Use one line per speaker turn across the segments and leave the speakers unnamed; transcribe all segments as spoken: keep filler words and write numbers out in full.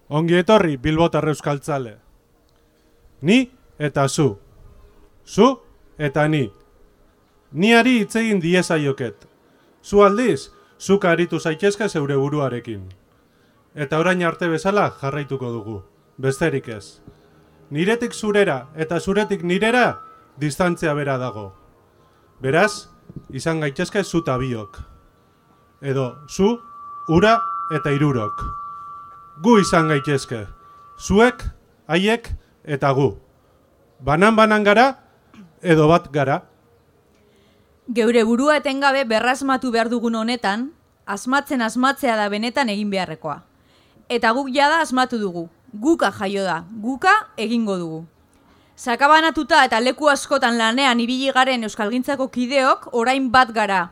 Ongi etorri Bilbotar euskaltzale. Ni eta zu. Zu eta ni. Niari hitz egin diezaioket. Zu aldiz, zuk aritu zaitezke zeure buruarekin. Eta orain arte bezala jarraituko dugu. Besterik ez. Niretik zurera eta zuretik nirera distantzia bera dago. Beraz, izan gaitezke zu eta biok. Edo zu, ura eta hirurok. Gu izan gaitezke. Zuek, haiek eta gu. Banan-banan gara edo bat gara.
Geure burua etengabe berrasmatu behar dugun honetan, asmatzen asmatzea da benetan egin beharrekoa. Eta guk jada asmatu dugu. Guka jaio da, guka egingo dugu. Sakabanatuta eta leku askotan lanean ibili garen euskalgintzako kideok orain bat gara.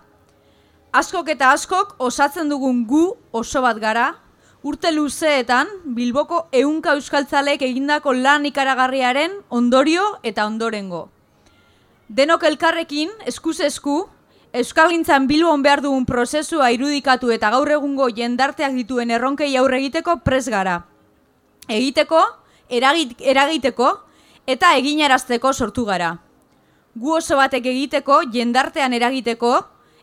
Askok eta askok osatzen dugun gu oso bat gara, urte luzeetan Bilboko ehunka euskaltzalek egindako lan ikaragarriaren ondorio eta ondorengo. Denok elkarrekin, eskuz esku, euskalgintzan Bilbon behar dugun prozesua irudikatu eta gaur egungo jendarteak dituen erronkei aurre egiteko pres gara. Egiteko, eragit, eragiteko eta eginarazteko sortu gara. Gu oso batek egiteko, jendartean eragiteko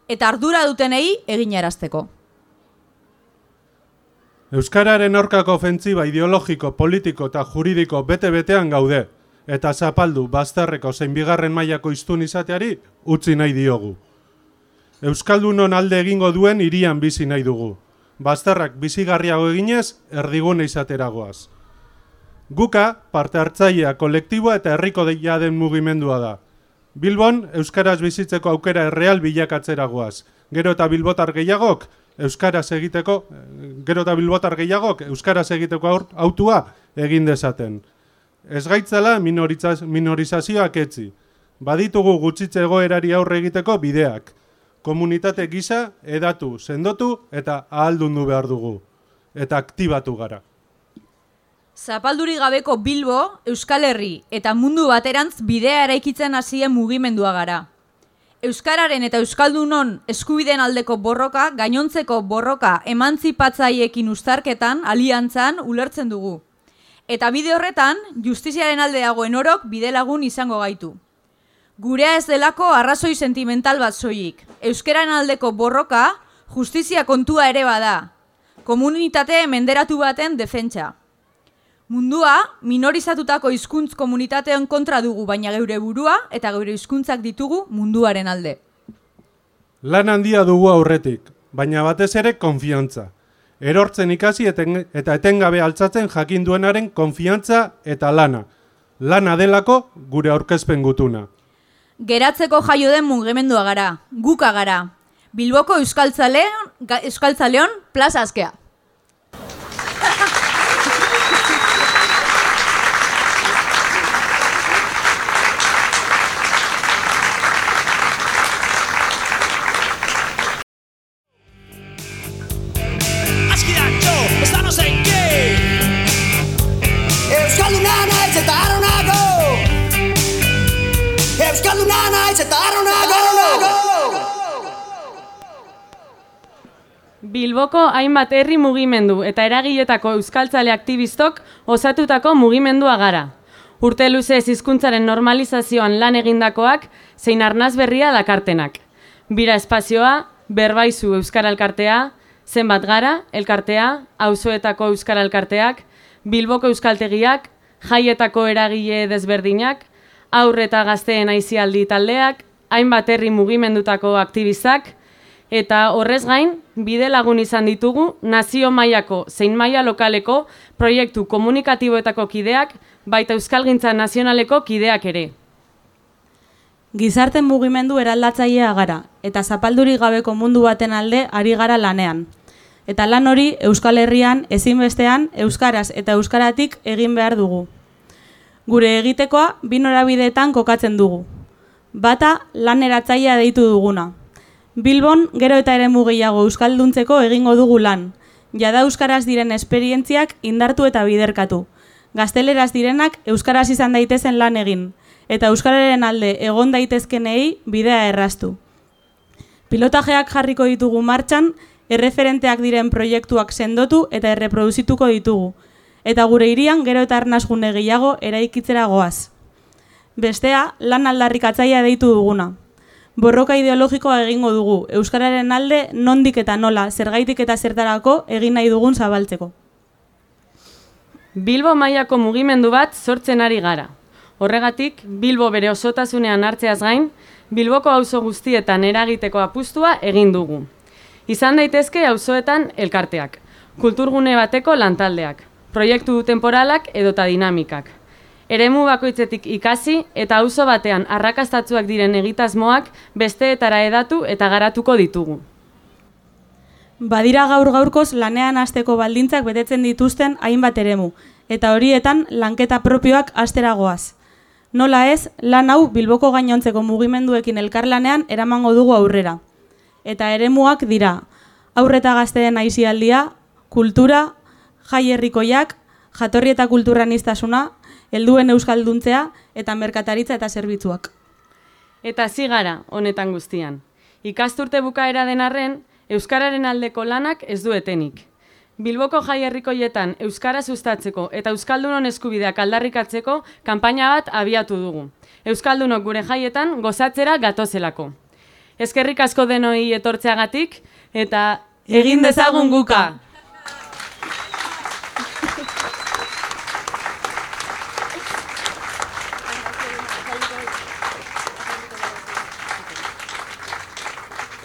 eta ardura dutenei eginarazteko.
Euskararen aurkako ofentziba ideologiko, politiko eta juridiko bete-betean gaude, eta zapaldu bazterreko zein bigarren mailako hiztun izateari utzi nahi diogu. Euskaldunon alde egingo duen hirian bizi nahi dugu. Bazterrak bizigarriago eginez, erdigune izateragoaz. Guka, parte hartzailea, kolektiboa eta herriko deia den mugimendua da. Bilbon, euskaraz bizitzeko aukera erreal bilakatzeragoaz. Gero eta bilbotar gehiagok, euskaraz egiteko, gero eta bilbotar gehiagok, euskaraz egiteko autua egin dezaten. Ez gaitzala minorizazioak etzi. Baditugu gutxitze egoerari aurre egiteko bideak. Komunitate gisa, edatu, sendotu eta ahaldundu behar dugu. Eta aktibatu gara.
Zapalduri gabeko Bilbo, Euskal Herri eta mundu baterantz bidea eraikitzen hasien mugimendua gara. Euskararen eta Euskaldunon eskubideen aldeko borroka, gainontzeko borroka emantzipatzaiekin uztarketan, aliantzan ulertzen dugu. Eta bide horretan, justiziaren alde dagoen orok bidelagun izango gaitu. Gurea ez delako arrazoi sentimental bat soilik. Euskararen aldeko borroka, justizia kontua ere bada. Komunitate menderatu baten defentsa. Mundua, minorizatutako hizkuntz komunitatean kontra dugu, baina geure burua eta geure hizkuntzak ditugu munduaren alde.
Lan handia dugu aurretik, baina batez ere konfiantza. Erortzen ikasi eten, eta etengabe altzatzen jakin duenaren konfiantza eta lana. Lana delako gure aurkezpen gutuna.
Geratzeko jaio den mugimendua gara, guka gara. Bilboko euskaltzaleon, euskaltzaleon plaza askea.
Bilboko hainbat herri mugimendu eta eragiletako euskaltzale aktivistok osatutako mugimendua gara. Urte luzez hizkuntzaren normalizazioan lan egindakoak zein arnaz berria dakartenak. Bira espazioa, berbaizu euskara elkartea, zenbat gara, elkartea, auzoetako euskara elkarteak, Bilboko euskaltegiak, jaietako eragile desberdinak, haur eta gazteen aisialdi taldeak, hainbat herri mugimendutako aktivistak, eta horrez gain, bide lagun izan ditugu nazio mailako zein maila lokaleko proiektu komunikatiboetako kideak, baita euskalgintza nazionaleko kideak ere.
Gizarte mugimendu eraldatzailea gara, eta zapalduri gabeko mundu baten alde ari gara lanean. Eta lan hori Euskal Herrian ezinbestean euskaraz eta euskaratik egin behar dugu. Gure egitekoa bi norabideetan kokatzen dugu. Bata lan eratzailea deitu duguna. Bilbon gero eta eremu gehiago euskalduntzeko egingo dugu lan. Jada euskaraz diren esperientziak indartu eta biderkatu. Gazteleraz direnak euskaraz izan daitezen lan egin. Eta euskararen alde egon daitezkenei bidea erraztu. Pilotajeak jarriko ditugu martxan, erreferenteak diren proiektuak sendotu eta erreproduzituko ditugu. eta gure hirian gero eta arnasgune gehiago eraikitzera goaz. Bestea, lan aldarrikatzailea deitu duguna. Borroka ideologikoa egingo dugu, euskararen alde nondik eta nola, zergaitik eta zertarako egin nahi dugun zabaltzeko.
Bilbo mailako mugimendu bat sortzen ari gara. Horregatik, Bilbo bere osotasunean hartzeaz gain, Bilboko auzo guztietan eragiteko apustua egin dugu. Izan daitezke auzoetan elkarteak, kulturgune bateko lantaldeak, proiektu temporalak edota dinamikak. Eremu bakoitzetik ikasi eta auzo batean arrakastatsuak diren egitasmoak besteetara hedatu eta garatuko ditugu.
Badira gaur gaurkoz lanean hasteko baldintzak betetzen dituzten hainbat eremu, eta horietan lanketa propioak hastera goaz. Nola ez, lan hau Bilboko gainontzeko mugimenduekin elkarlanean eramango dugu aurrera. Eta eremuak dira, haurreta gazteen aisialdia, kultura, jai herrikoiak, jatorri eta kulturaniztasuna, helduen euskalduntzea eta merkataritza eta zerbitzuak.
Eta zigara honetan guztian. Ikasturte bukaera den arren, euskararen aldeko lanak ez du etenik. Bilboko jai herrikoietan euskara sustatzeko eta euskaldunon eskubideak aldarrikatzeko kanpaina bat abiatu dugu. Euskaldunok gure jaietan gozatzera gatozelako. Eskerrik asko denoi etortzeagatik eta egin dezagun guka!